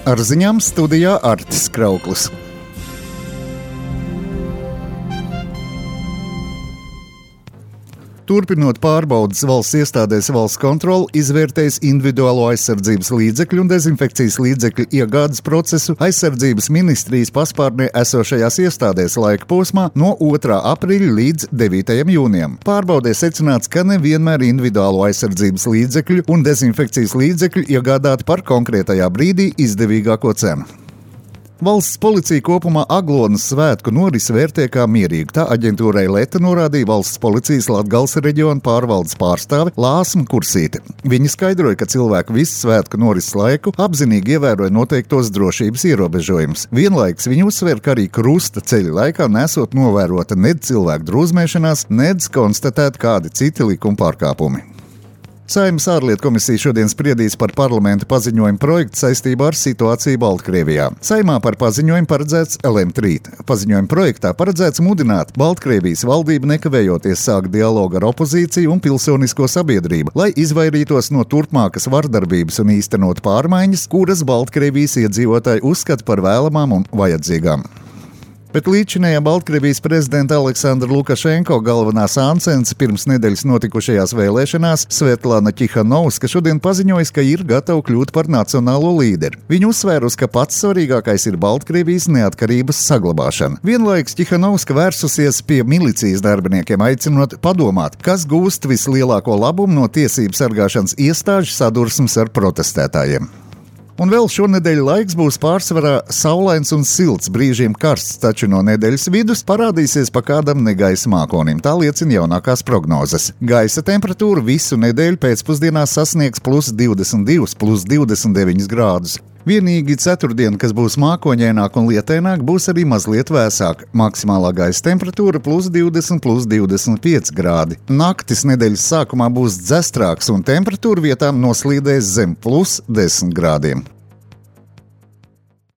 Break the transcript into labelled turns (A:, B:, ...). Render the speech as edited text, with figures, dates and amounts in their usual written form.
A: Ar ziņām studijā Artis Krauklis. Turpinot pārbaudes valsts iestādēs, valsts kontrole izvērtēs individuālo aizsardzības līdzekļu un dezinfekcijas līdzekļu iegādes procesu aizsardzības ministrijas paspārnē esošajās iestādēs laika posmā no 2. aprīļa līdz 9. jūnijam. Pārbaudē secināts, ka nevienmēr individuālo aizsardzības līdzekļu un dezinfekcijas līdzekļu iegādāti par konkrētajā brīdī izdevīgāko cenu. Valsts policija kopumā Aglonas svētku norisi vērtē kā mierīgu. Tā aģentūrai Leta norādīja valsts policijas Latgales reģiona pārvaldes pārstāve Lāsma Kursīte. Viņa skaidroja, ka cilvēki visu svētku norises laiku apzinīgi ievēroja noteiktos drošības ierobežojumus. Vienlaikus viņa uzsver, ka arī krusta ceļa laikā nesot novērota nedz cilvēku drūzmēšanās, nedz konstatēt kādi citi likuma pārkāpumi. Saeimas ārlietu komisija šodien spriedīs par parlamenta paziņojumu projektu saistībā ar situāciju Baltkrievijā. Saeimā par paziņojumu paredzēts lemt rīt. Paziņojuma projektā paredzēts mudināt Baltkrievijas valdību nekavējoties sākt dialogu ar opozīciju un pilsonisko sabiedrību, lai izvairītos no turpmākas vardarbības un īstenot pārmaiņas, kuras Baltkrievijas iedzīvotāji uzskata par vēlamām un vajadzīgām. Bet līdzinējā Baltkrievijas prezidenta Aleksandra Lukašenko galvenā sāncens pirms nedēļas notikušajās vēlēšanās Svetlana Tihanovska šodien paziņoja, ka ir gatava kļūt par nacionālo līderi. Viņa uzsvērusi, ka pats svarīgākais ir Baltkrievijas neatkarības saglabāšana. Vienlaikus Tihanovska vērsusies pie milicijas darbiniekiem, aicinot padomāt, kas gūst vislielāko labumu no tiesību sargāšanas iestāžu sadursmes ar protestētājiem. Un vēl šonedēļ laiks būs pārsvarā saulains un silts, brīžiem karsts, taču no nedēļas vidus parādīsies pa kādam negaisa mākonim. Tā liecina jaunākās prognozes. Gaisa temperatūra visu nedēļu pēcpusdienā sasniegs +22, +29 grādus. Vienīgi ceturtdiena, kas būs mākoņaināk un lietaināk, būs arī mazliet vēsāk. Maksimālā gaisa temperatūra +20, +25 grādi. Naktis nedēļas sākumā būs dzestrāks un temperatūra vietām noslīdēs zem +10 grādiem.